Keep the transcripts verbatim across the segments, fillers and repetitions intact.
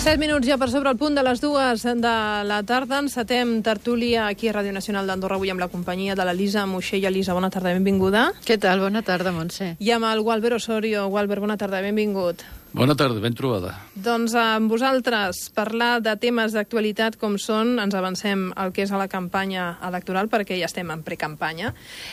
Set minuts ja per sobre el punt de les dues de la tarda. Encetem tertúlia aquí a Ràdio Nacional d'Andorra, avui amb la companyia de l'Elisa Moixell. Elisa, bona tarda, benvinguda. Què tal? Bona tarda, Montse. I amb el Gualber Osorio. Gualber, bona tarda, benvingut. Bona tarda, ben trobada. Doncs amb vosaltres, parlar de temes d'actualitat com són, ens avancem al que és a la campanya electoral, perquè ja estem en precampanya,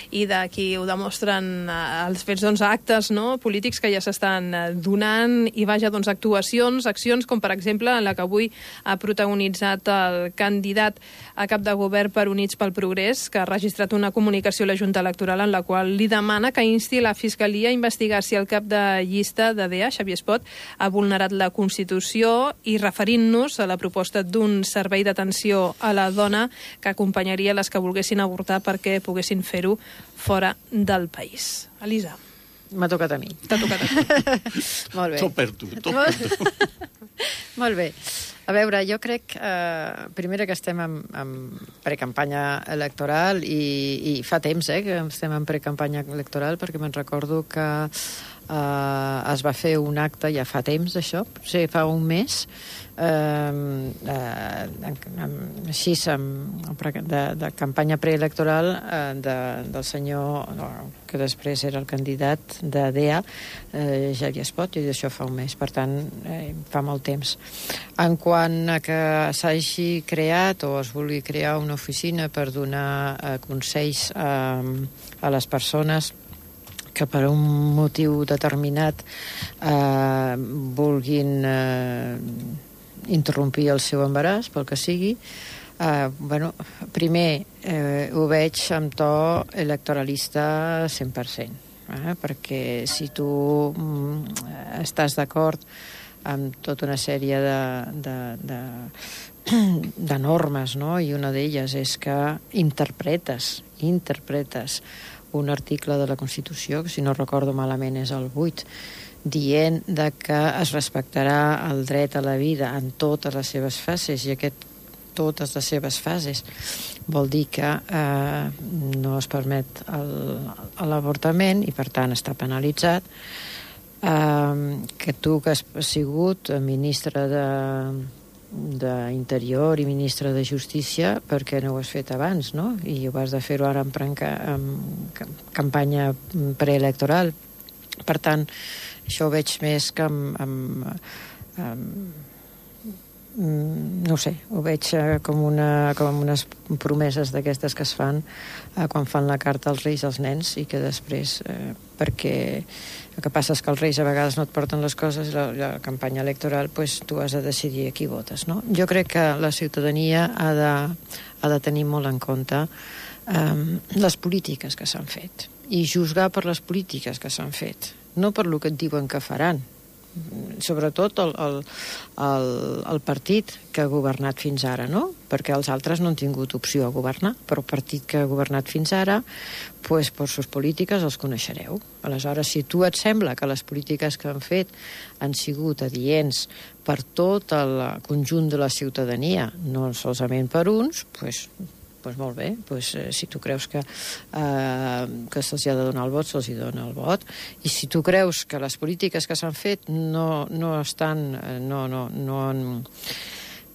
i d'aquí ho demostren els fets, doncs, actes, no?, polítics que ja s'estan donant, i vaja, doncs, actuacions, accions, com per exemple en la que avui ha protagonitzat el candidat a cap de govern per Units pel Progrés, que ha registrat una comunicació a la Junta Electoral en la qual li demana que insti la Fiscalia a investigar si el cap de llista de D E A, Xavier Espot, ha vulnerat la Constitució, i referint-nos a la proposta d'un servei d'atenció a la dona que acompanyaria les que volguessin avortar perquè poguessin fer-ho fora del país. Elisa. M'ha tocat a mi. T'ha tocat a tu. Molt bé. Tot per tu, tot per tu. Molt bé. A veure, jo crec, eh, primera, que estem en, en precampanya electoral i, i fa temps eh, que estem en precampanya electoral, perquè me'n recordo que Uh, es va fer un acte ja fa temps, això, sí, fa un mes, uh, uh, així, de, de campanya preelectoral uh, de, del senyor, no, que després era el candidat de D E A, uh, Xavier Espot, i això fa un mes, per tant, eh, fa molt temps. En quant a que s'hagi creat o es vulgui crear una oficina per donar uh, consells uh, a les persones que per un motiu determinat eh, vulguin eh, interrompir el seu embaràs, pel que sigui, eh, bueno, primer eh, ho veig amb to electoralista cent per cent, eh, perquè si tu mm, estàs d'acord amb tota una sèrie de, de, de, de normes, no?, i una d'elles és que interpretes, interpretes un article de la Constitució, que si no recordo malament és el vuit, dient de que es respectarà el dret a la vida en totes les seves fases, i aquest totes les seves fases vol dir que eh, no es permet l'avortament i per tant està penalitzat, eh, que tu que has sigut ministre de d'Interior i ministre de Justícia, perquè no ho has fet abans, no? I ho has de fer-ho ara en, prenca, en campanya preelectoral. Per tant, això ho veig més que amb, amb, amb no ho sé, ho veig com, una, com unes promeses d'aquestes que es fan eh, quan fan la carta als reis als nens, i que després, eh, perquè el que passa és que els reis a vegades no et porten les coses, la, la campanya electoral, pues, tu has de decidir a qui votes, no? Jo crec que la ciutadania ha de, ha de tenir molt en compte eh, les polítiques que s'han fet, i juzgar per les polítiques que s'han fet, no per lo que et diuen que faran. Sobretot el, el, el, el partit que ha governat fins ara, no? Perquè els altres no han tingut opció a governar, però el partit que ha governat fins ara, pues, per sus polítiques els coneixereu. Aleshores, si tu et sembla que les polítiques que han fet han sigut adients per tot el conjunt de la ciutadania, no solament per uns, pues, pues molt bé, pues, eh, si tu creus que, eh, que se'ls ha de donar el vot, se'ls hi dona el vot, i si tu creus que les polítiques que s'han fet no, no estan, no, no, no han,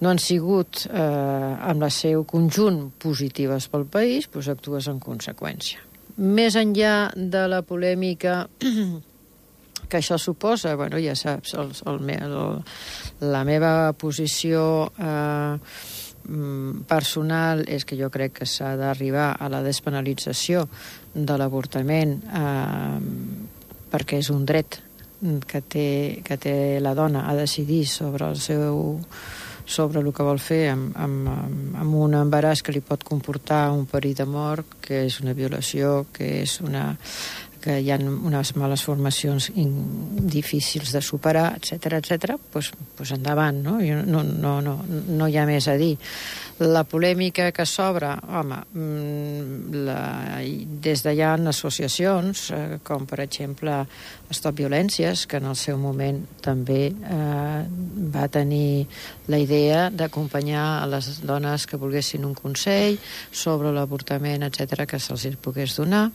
no han sigut eh, amb el seu conjunt positives pel país, pues actues en conseqüència. Més enllà de la polèmica que això suposa, bueno, ja saps, el, el, el, la meva posició eh, personal és que jo crec que s'ha d'arribar a la despenalització de l'avortament, eh, perquè és un dret que té, que té la dona a decidir sobre el seu sobre el que vol fer amb, amb, amb un embaràs que li pot comportar un perill de mort, que és una violació, que és una que hi ha unes males formacions difícils de superar, etcètera, etcètera, doncs, doncs endavant, no? No, no, no, no hi ha més a dir. La polèmica que s'obre, home, la, des d'allà hi ha associacions, eh, com per exemple Stop Violències, que en el seu moment també eh, va tenir la idea d'acompanyar a les dones que volguessin un consell sobre l'avortament, etcètera, que se'ls pogués donar.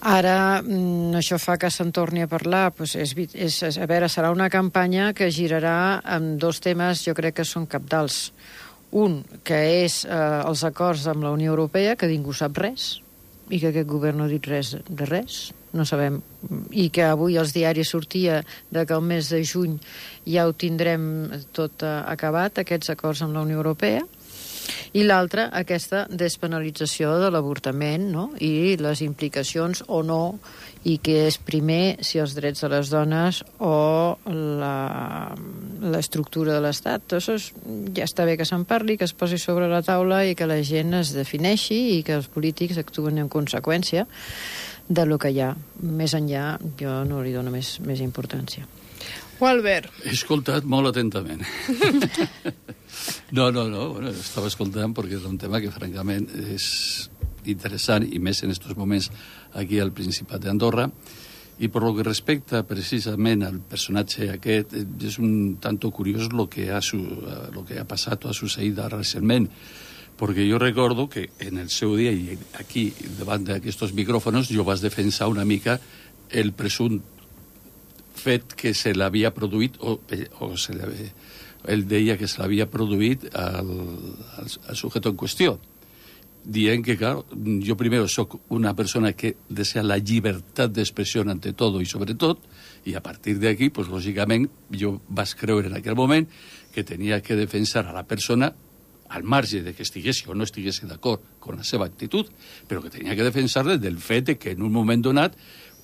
Ara, mm, això fa que se'n torni a parlar. Pues és, és, a veure, serà una campanya que girarà amb dos temes, jo crec que són cabdals. Un, que és eh, els acords amb la Unió Europea, que ningú sap res, i que aquest govern no ha dit res de res, no sabem. I que avui als diaris sortia de que el mes de juny ja ho tindrem tot eh, acabat, aquests acords amb la Unió Europea. I l'altra, aquesta despenalització de l'avortament, no? I les implicacions o no, i què és primer, si els drets de les dones o l'estructura de l'Estat. Això és, ja està bé que se'n parli, que es posi sobre la taula i que la gent es defineixi i que els polítics actuen en conseqüència de lo que hi ha. Més enllà, jo no li dono més, més importància. O Albert? He escoltat molt atentament. No, no, no, bueno, estava escoltant perquè és un tema que francament és interessant i més en estos moments aquí al Principat d'Andorra, i per lo que respecta precisament al personatge aquest, és un tanto curiós lo que ha, su, lo que ha passat o ha succeït recentment, perquè jo recordo que en el seu dia i aquí davant d'aquests micròfons jo vas defensar una mica el presumpte fet que se l'havia produït o, o se l'havia ell deia que se l'havia produït al, al, al sujeto en qüestió, dient que, clar, jo primer soc una persona que desea la llibertat d'expressió ante todo i sobretot, i a partir d'aquí, pues, lògicament, jo vaig creure en aquell moment que tenia que defensar a la persona al marge de que estigués o no estigués d'acord amb la seva actitud, però que tenia que defensar-la del fet de que en un moment donat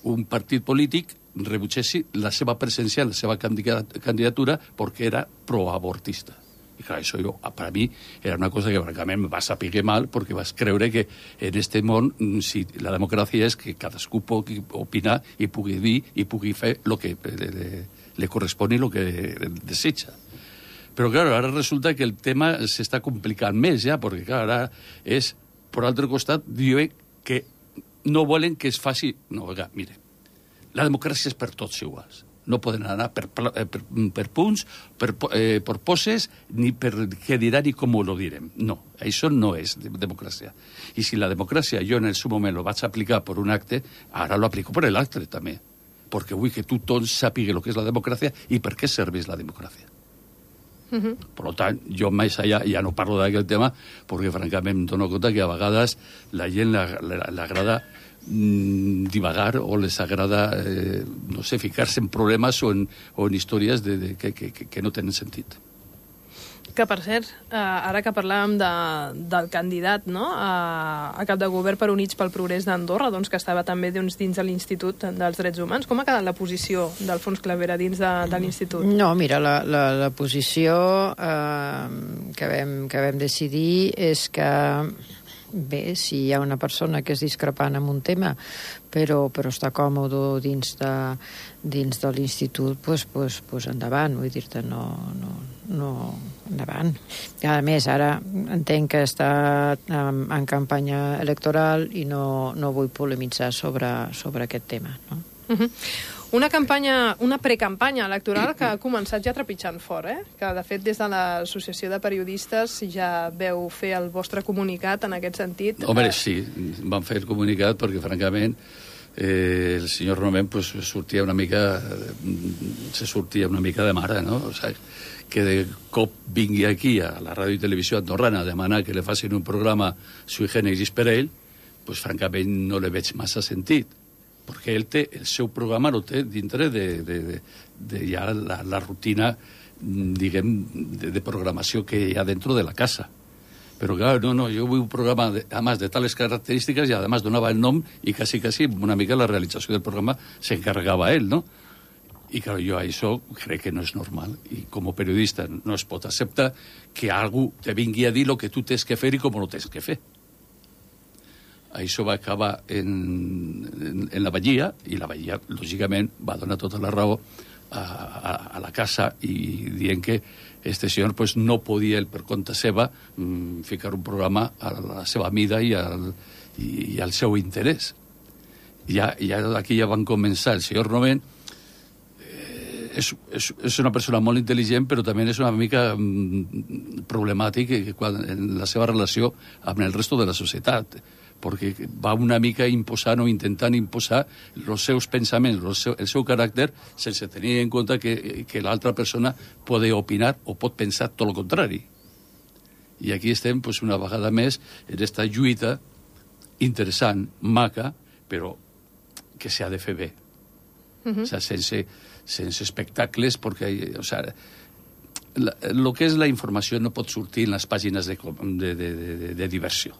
un partit polític rebutgessi la seva presència en la seva candidatura perquè era proabortista. I clar, això jo, per a mi era una cosa que francament me va saber mal perquè vas creure que en este món si la democràcia és que cadascú pugui opinar i pugui dir i pugui fer el que le, le, le correspon i el que desitja. Però, clar, ara resulta que el tema s'està complicant més, ja, perquè, clar, ara és, per altre costat, diuen que no volen que es faci... No, oiga, mire, la democràcia és per tots iguals. No poden anar per, per, per punts, per, eh, per poses, ni per què dirà ni com ho direm. No, això no és democràcia. I si la democràcia jo en el seu moment lo vaig aplicar per un acte, ara lo aplico per l'altre també. Perquè vull que tothom sàpiga el que és la democràcia i per què serveix la democràcia. Uh-huh. Per tant, jo més allà ja no parlo d'aquest tema perquè francament em dono compte que a vegades la gent l'agrada mm, divagar o les agrada eh, no sé, ficar-se en problemes o en, o en històries de, de, que, que, que no tenen sentit. Que, per cert, eh, ara que parlàvem de, del candidat, no?, a, a cap de govern per Units pel Progrés d'Andorra, doncs, que estava també doncs, dins de l'Institut dels Drets Humans, com ha quedat la posició d'Alfons Clavera dins de, de l'Institut? No, mira, la, la, la posició eh, que, vam, que vam decidir és que bé, si hi ha una persona que és discrepant en un tema però, però està còmode dins de, dins de l'institut, pues, pues, pues endavant, vull dir-te, no, no, no, endavant. I a més, ara entenc que està en, en campanya electoral i no, no vull polemitzar sobre, sobre aquest tema, no? Uh-huh. Una campanya, una precampanya electoral que ha començat ja trepitjant fort, eh? Que de fet des de l'Associació de Periodistes ja veu fer el vostre comunicat en aquest sentit. Home, sí, vam fer el comunicat perquè francament eh, el senyor Romén pues, sortia una mica se sortia una mica de mare, no? O sigui, que de cop vingui aquí a la ràdio i televisió andorrana a demanar que li facin un programa sui generis per ell, pues francament no li veig massa sentit. Perquè ell té, el seu programa lo té dintre de, de, de, de ja la, la rutina, diguem, de, de programació que hi ha dentro de la casa. Però, clar, no, no, jo vull un programa, de, además de tales característiques, i además donava el nom, i quasi, quasi, una mica la realització del programa s'encarregava ell, no? I, clar, jo això crec que no és normal. I, com a periodista, no es pot acceptar que algú te vingui a dir el que tu tens que fer i com no tens que fer. Això va acabar en, en, en la Vallia, i la Vallia, lògicament, va donar tota la raó a, a, a la casa i dient que este senyor pues, no podia, el per compte seva, mm, ficar un programa a la seva mida i al, i, i al seu interès. Ja, ja aquí ja van començar. El senyor Romén eh, és, és, és una persona molt intel·ligent, però també és una mica mm, problemàtic quan, en la seva relació amb el resto de la societat. perquè va una mica imposant o intentant imposar els seus pensaments, el seu, el seu caràcter, sense tenir en compte que, que l'altra persona pot opinar o pot pensar tot el contrari. I aquí estem, pues, una vegada més, en aquesta lluita interessant, maca, però que s'ha de fer bé. Uh-huh. O sea, sense, sense espectacles, perquè, o sea, el que és la informació no pot sortir en les pàgines de, de, de, de, de diversió.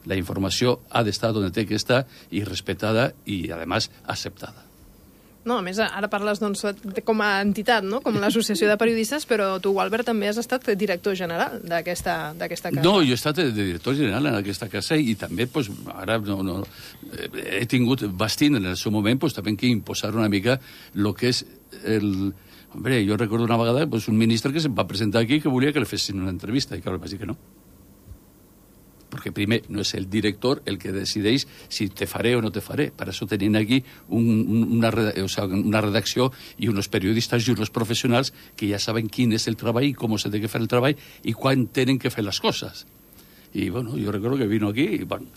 La informació ha d'estar on té que estar i respetada i, a més, acceptada. No, a més, ara parles doncs, com a entitat, no? Com l'associació de periodistes, però tu, Albert, també has estat director general d'aquesta casa. No, jo he estat de director general en aquesta casa i també, pues, ara no, no, he tingut bastint en el seu moment pues, també que imposar una mica el que és el... Hombre, jo recordo una vegada pues, un ministre que se'm va presentar aquí que volia que li fessin una entrevista i que vaig dir que no. Perquè primer no és el director el que decideix si te faré o no te faré. Per això tenim aquí un, una, o sea, una redacció i uns periodistes i uns professionals que ja saben quin és el treball i com s'ha de fer el treball i quan tenen que fer les coses. I, bueno, jo recordo que vino aquí i, bueno,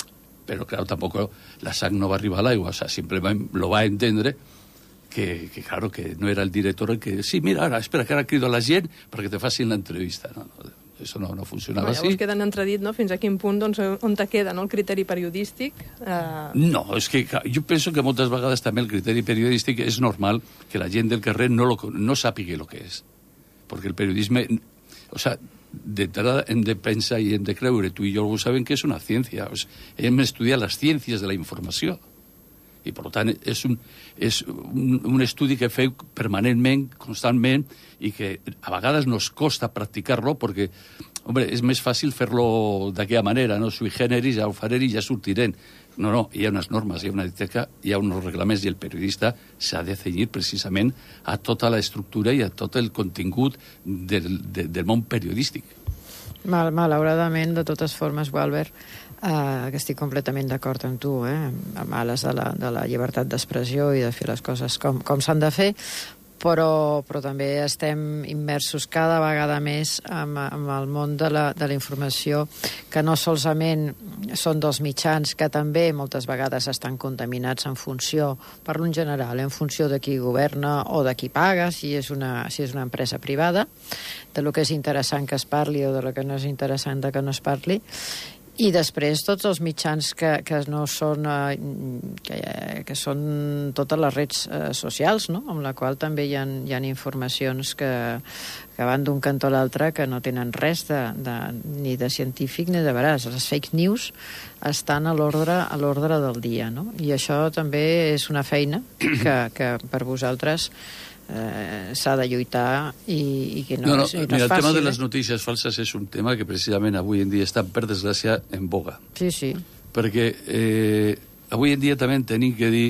però, claro, tampoc la sang no va arribar a l'aigua. O sea, simplement lo va entendre que, que, claro, que no era el director el que... Sí, mira, ara, espera, que ara crido a la gent perquè te facin l'entrevista. No, no, això no, no funcionava així. Llavors queda en entredit, no?, fins a quin punt, doncs, on te queda, no?, el criteri periodístic. Eh... No, és que jo penso que moltes vegades també el criteri periodístic és normal que la gent del carrer no, lo, no sàpiga el que és. Perquè el periodisme... O sea, d'entrada hem de pensar i hem de creure, tu i jo ho sabem que és una ciència. O sea, hem d'estudiar les ciències de la informació. I, per tant, és un, és un, un estudi que feu permanentment, constantment, i que a vegades nos costa practicar-lo perquè, hombre, és més fàcil fer-lo d'aquella manera, no? Sui generis, ja ho faré i ja sortirem. No, no, hi ha unes normes, hi ha una ètica, hi ha uns reglaments i el periodista s'ha de cenyir precisament a tota la estructura i a tot el contingut del, de, del món periodístic. Mal, malauradament, de totes formes, Albert, Uh, que estic completament d'acord amb tu, eh? Amb ales de la, de la llibertat d'expressió i de fer les coses com, com s'han de fer, però, però també estem immersos cada vegada més amb, amb el món de la, de la informació, que no solament són dels mitjans, que també moltes vegades estan contaminats en funció, parlo en general, en funció de qui governa o de qui paga, si és una, si és una empresa privada, de lo que és interessant que es parli o de lo que no és interessant de que no es parli. I després tots els mitjans que, que no són eh, que, que són totes les redes eh, socials, no? Amb la qual també hi ha, hi ha informacions que, que van d'un cantó a l'altre que no tenen res de, de, ni de científic ni de veraç. Les fake news estan a l'ordre a l'ordre del dia, no? I això també és una feina que, que per vosaltres Eh, s'ha de lluitar i, i que no, no, no, és, no mira, és fàcil. El tema de eh? les notícies falses és un tema que precisament avui en dia està, per desgràcia, en boga. Sí, sí. Perquè eh, avui en dia també tenim que dir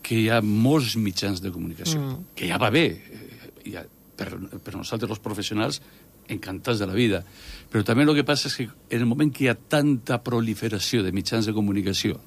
que hi ha molts mitjans de comunicació, mm. que ja va bé, eh, ha, per, per nosaltres els professionals encantats de la vida, però també el que passa és que en el moment que hi ha tanta proliferació de mitjans de comunicació,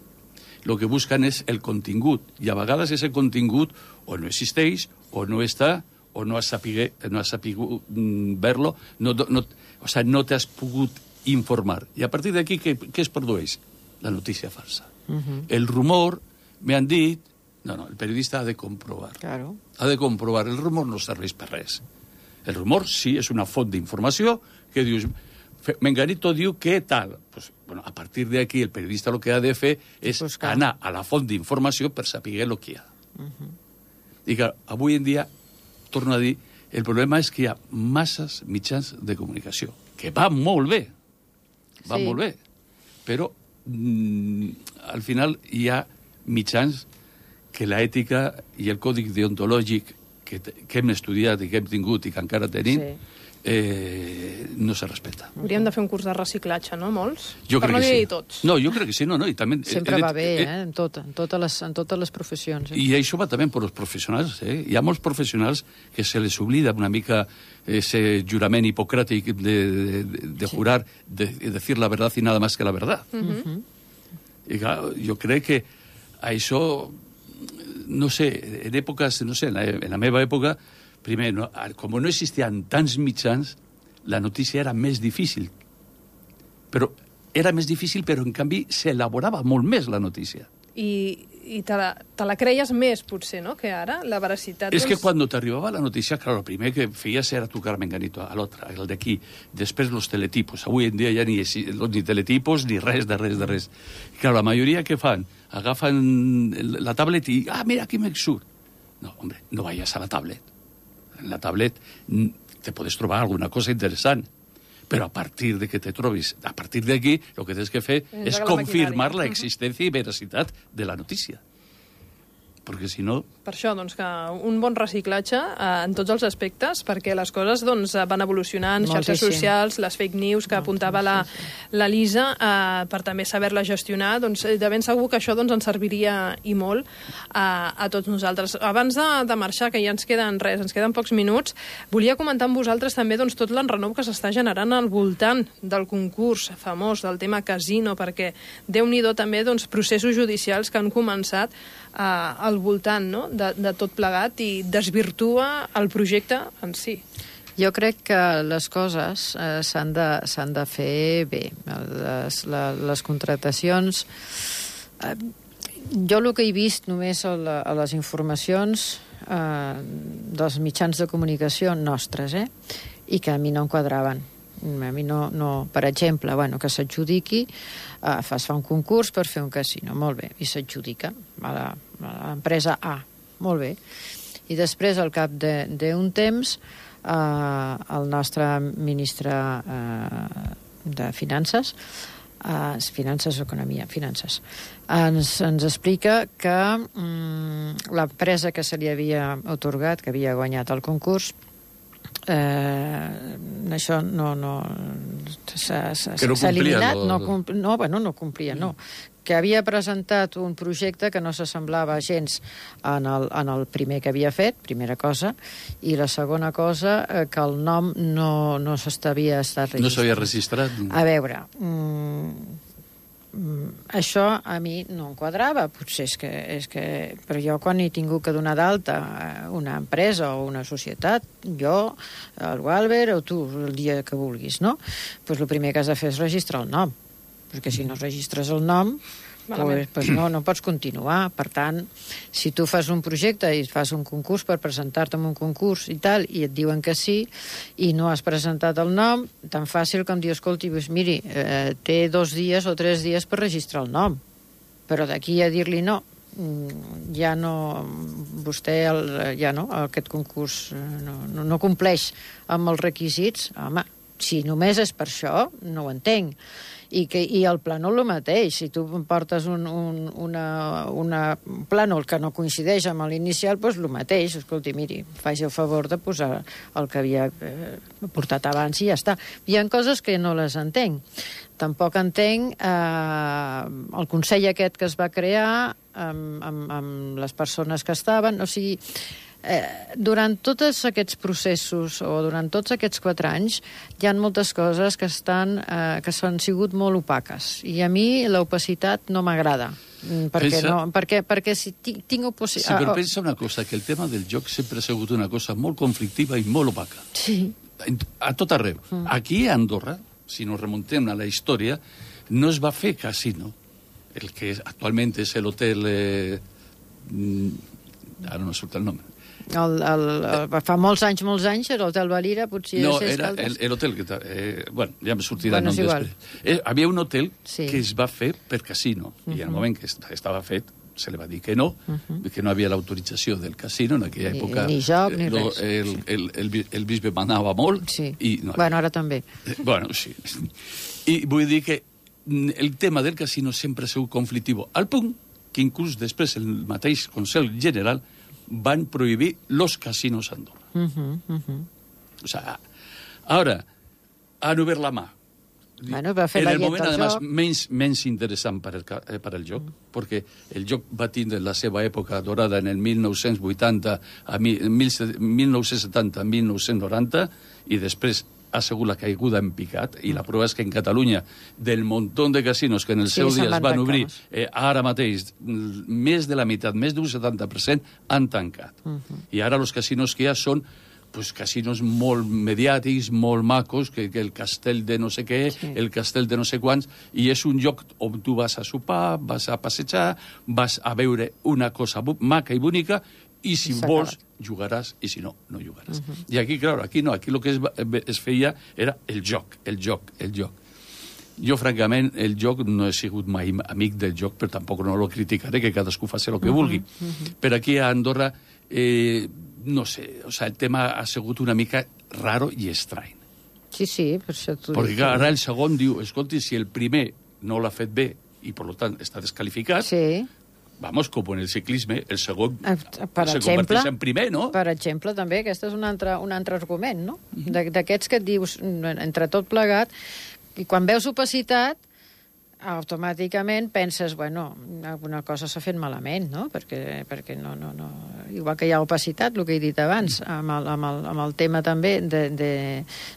el que busquen és el contingut, i a vegades aquest contingut o no existeix, o no està, o no has sapigut, no has sapigut mm, ver-lo, no, no, o sea, no t'has pogut informar. I a partir d'aquí, què, què es produeix? La notícia falsa. Uh-huh. El rumor, me han dit... No, no, el periodista ha de comprovar. Claro. Ha de comprovar. El rumor no serveix per res. El rumor sí és una font d'informació que dius... Menganito diu que tal. Pues, bueno, a partir d'aquí el periodista el que ha de fer és buscar. Anar a la font d'informació per saber el que hi ha. Uh-huh. I que avui en dia, torno a dir, el problema és que hi ha masses mitjans de comunicació, que va molt bé, va sí. molt bé, però mm, al final hi ha mitjans que l'ètica i el còdic deontològic que, que hem estudiat i que hem tingut i que encara tenim, sí. Eh, no se respecta. Hauríem de fer un curs de reciclatge, no? Molts? Jo per crec no que sí. Tots. No, jo crec que sí. No, no, i també, sempre eh, va bé, eh, eh? En, tot, en, totes les, en totes les professions. Eh? I això va també per als professionals. Eh? Hi ha molts professionals que se les oblida una mica ese jurament hipocràtic de, de, de sí. jurar, de, de decir la verdad y nada más que la verdad. Uh-huh. I clar, jo crec que això, no sé, en èpoques, no sé, en la, en la meva època, primer, no, com no existien tants mitjans, la notícia era més difícil. Però era més difícil, però en canvi s'elaborava molt més la notícia. I, i te, la, te la creies més, potser, no?, que ara, la veracitat... És que quan t'arribava la notícia, clar, el primer que feies era trucar Menganito a l'altre, el d'aquí. Després los teletipos. Avui en dia ja ni, ni teletipos ni res de res de res. I, clar, la majoria que fan? Agafen la tablet i... Ah, mira, aquí me surt. No, hombre, no vayas a la tablet. En la tablet te puedes trobar alguna cosa interessant. Però a partir de que te trobis, a partir d'aquí, el que tens que fer és confirmar la existència i veracitat de la notícia. Perquè si no... Per això, doncs, que un bon reciclatge eh, en tots els aspectes, perquè les coses doncs, van evolucionant, xarxes socials, les fake news que apuntava la, la Lisa, eh, per també saber-la gestionar, doncs de ben segur que això doncs, ens serviria i molt a, a tots nosaltres. Abans de, de marxar, que ja ens queden res, ens queden pocs minuts, volia comentar amb vosaltres també doncs, tot l'enrenou que s'està generant al voltant del concurs famós, del tema casino, perquè Déu-n'hi-do també doncs, processos judicials que han començat eh, al voltant, no?, de, de tot plegat i desvirtua el projecte en si. Jo crec que les coses eh, s'han de, s'han de fer bé. Les, la, les contractacions... Eh, jo el que he vist només a, la, a les informacions eh, dels mitjans de comunicació nostres, eh, i que a mi no em quadraven. A mi no, no, per exemple, bueno, que s'adjudiqui, eh, es fa un concurs per fer un casino, molt bé, i s'adjudica a la, a l'empresa A, molt bé. I després, al cap d'un temps, eh, el nostre ministre eh, de Finances, eh, Finances o Economia, Finances, ens, ens explica que mm, l'empresa que se li havia otorgat, que havia guanyat el concurs, Eh, això no, no s'ha no eliminat lo... no, compl no, bueno, no complia, no, que havia presentat un projecte que no s'assemblava gens en el, en el primer que havia fet, primera cosa, i la segona cosa, eh, que el nom no, no s'havia estat registrat. No s'havia registrat? A veure, mm, això a mi no em quadrava, potser és que, és que... Però jo quan he tingut que donar d'alta una empresa o una societat, jo, el Walbert o tu, el dia que vulguis, no? Doncs el primer que has de fer és registrar el nom, perquè si no registres el nom, pues, pues no, no pots continuar. Per tant, si tu fas un projecte i fas un concurs per presentar-te en un concurs i tal, i et diuen que sí, i no has presentat el nom, tan fàcil com dir, escolti, pues, miri, eh, té dos dies o tres dies per registrar el nom, però d'aquí a dir-li no, ja no, vostè el, ja no, aquest concurs no, no, no compleix amb els requisits, home, si només és per això, no ho entenc. I, que, i el plànol el mateix. Si tu portes un, un, una, una plànol que no coincideix amb l'inicial, doncs el mateix. Escolti, miri, faci el favor de posar el que havia eh, portat abans i ja està. Hi ha coses que no les entenc. Tampoc entenc eh, el Consell aquest que es va crear amb, amb, amb les persones que estaven. O sigui, Eh, durant tots aquests processos o durant tots aquests quatre anys hi ha moltes coses que estan eh, que s'han sigut molt opaques i a mi l'opacitat no m'agrada perquè, pensa... no, perquè, perquè si tinc, tinc oposició... Sí, però pensa una cosa, que el tema del joc sempre ha sigut una cosa molt conflictiva i molt opaca. Sí. A tot arreu. Mm. Aquí a Andorra, si nos remontem a la història, no es va fer casino. El que actualment és l'hotel... Eh, ara no surt el nom. El, el, el, fa molts anys, molts anys, era l'Hotel Valira, potser... No, era l'hotel que... Eh, bueno, ja me sortirà bueno, el nom després. Eh, havia un hotel sí. que es va fer per casino, uh -huh. i en el moment que estava fet se li va dir que no, uh -huh. que no havia l'autorització del casino en aquella ni, època. Ni joc, ni lo, res. El, el, el, el, el bisbe manava molt. Sí. I no, bueno, ara també. Eh, bueno, sí. I vull dir que el tema del casino sempre ha sigut conflictiu, al punt que inclús després el mateix Consell General van prohibir los casinos a Andorra. Uh -huh, uh -huh. O sea, ahora han obert la mà. Bueno, va fer en la el moment, llet además, joc. menys, menys interessant per el, eh, per el joc, mm. perquè el joc va tindre la seva època dorada en el mil nou-cents vuitanta, a mil nou-cents setanta a mil nou-cents noranta, i després ha sigut la caiguda en picat, i la prova és que en Catalunya, del muntó de casinos que en el sí, seu dia es van obrir, tancar, eh, ara mateix, més de la meitat, més d'un setanta per cent, han tancat. Uh -huh. I ara els casinos que hi ha són pues, casinos molt mediàtics, molt macos, que, que el castell de no sé què, sí. el castell de no sé quants, i és un lloc on tu vas a sopar, vas a passejar, vas a veure una cosa maca i bonica, i si vols jugaràs, i si no, no jugaràs. Uh -huh. I aquí, clar, aquí no, aquí el que es, es feia era el joc, el joc, el joc. Jo, francament, el joc no he sigut mai amic del joc, però tampoc no lo criticaré, que cadascú faci el que uh -huh. vulgui. Uh -huh. Però aquí a Andorra, eh, no sé, o sea, el tema ha sigut una mica raro i estrany. Sí, sí, per això t'ho Perquè clar, ara el segon diu, escolti, si el primer no l'ha fet bé i, per tant, està descalificat, sí. vamos, com en el ciclisme, el segon per se exemple, converteix en primer, no? Per exemple, també, aquest és un altre, un altre argument, no? D'aquests que et dius, entre tot plegat, i quan veus opacitat, automàticament penses, bueno, alguna cosa s'ha fet malament, no? Perquè, perquè no, no, no... Igual que hi ha opacitat, el que he dit abans, amb el, amb el, amb el tema també de, de,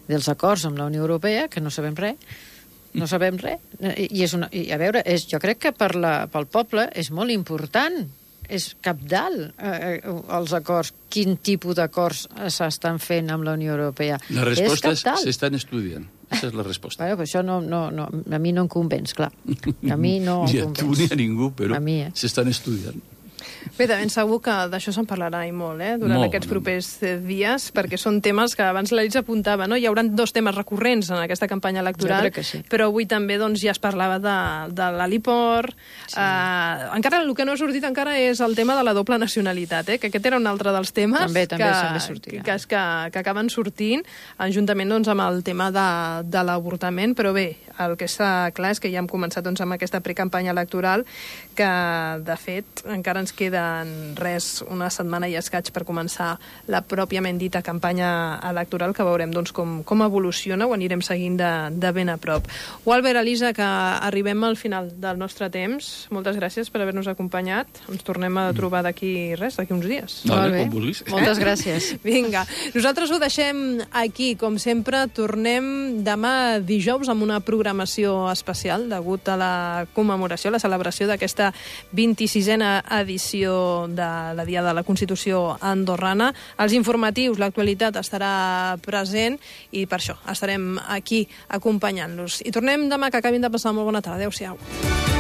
dels acords amb la Unió Europea, que no sabem res, no sabem res. I, és una, i a veure, és, jo crec que per la, pel poble és molt important, és cabdal eh, els acords, quin tipus d'acords s'estan fent amb la Unió Europea. La resposta és s'estan estudiant. Aquesta és la resposta. Bueno, això no, no, no, a mi no em convenç, clar. A mi no em convenç. Ni a tu ni a ningú, però eh? s'estan estudiant. Bé, de ben segur que d'això se'n parlarà i molt, eh, durant molt, aquests propers dies, perquè són temes que abans l'Elis apuntava, no? Hi haurà dos temes recurrents en aquesta campanya electoral, sí. però avui també doncs, ja es parlava de, de l'heliport. Sí. Eh, encara el que no ha sortit encara és el tema de la doble nacionalitat, eh, que aquest era un altre dels temes també, també, que, que, que, que, que acaben sortint, juntament doncs, amb el tema de, de l'avortament, però bé, el que està clar és que ja hem començat doncs, amb aquesta precampanya electoral, que de fet encara ens queden res, una setmana i escaig per començar la pròpiament dita campanya electoral, que veurem doncs, com, com evoluciona, ho anirem seguint de, de ben a prop. Walter, Elisa, que arribem al final del nostre temps. Moltes gràcies per haver-nos acompanyat. Ens tornem a trobar d'aquí res, d'aquí uns dies. Vale, com vulguis. Moltes gràcies. Vinga, nosaltres ho deixem aquí. Com sempre, tornem demà dijous amb una programació especial degut a la commemoració, la celebració d'aquesta vint-i-sisena edició de la Dia de la Constitució andorrana. Els informatius, l'actualitat estarà present i per això estarem aquí acompanyant-los. I tornem demà, que acabin de passar molt bona tarda. Adéu-siau.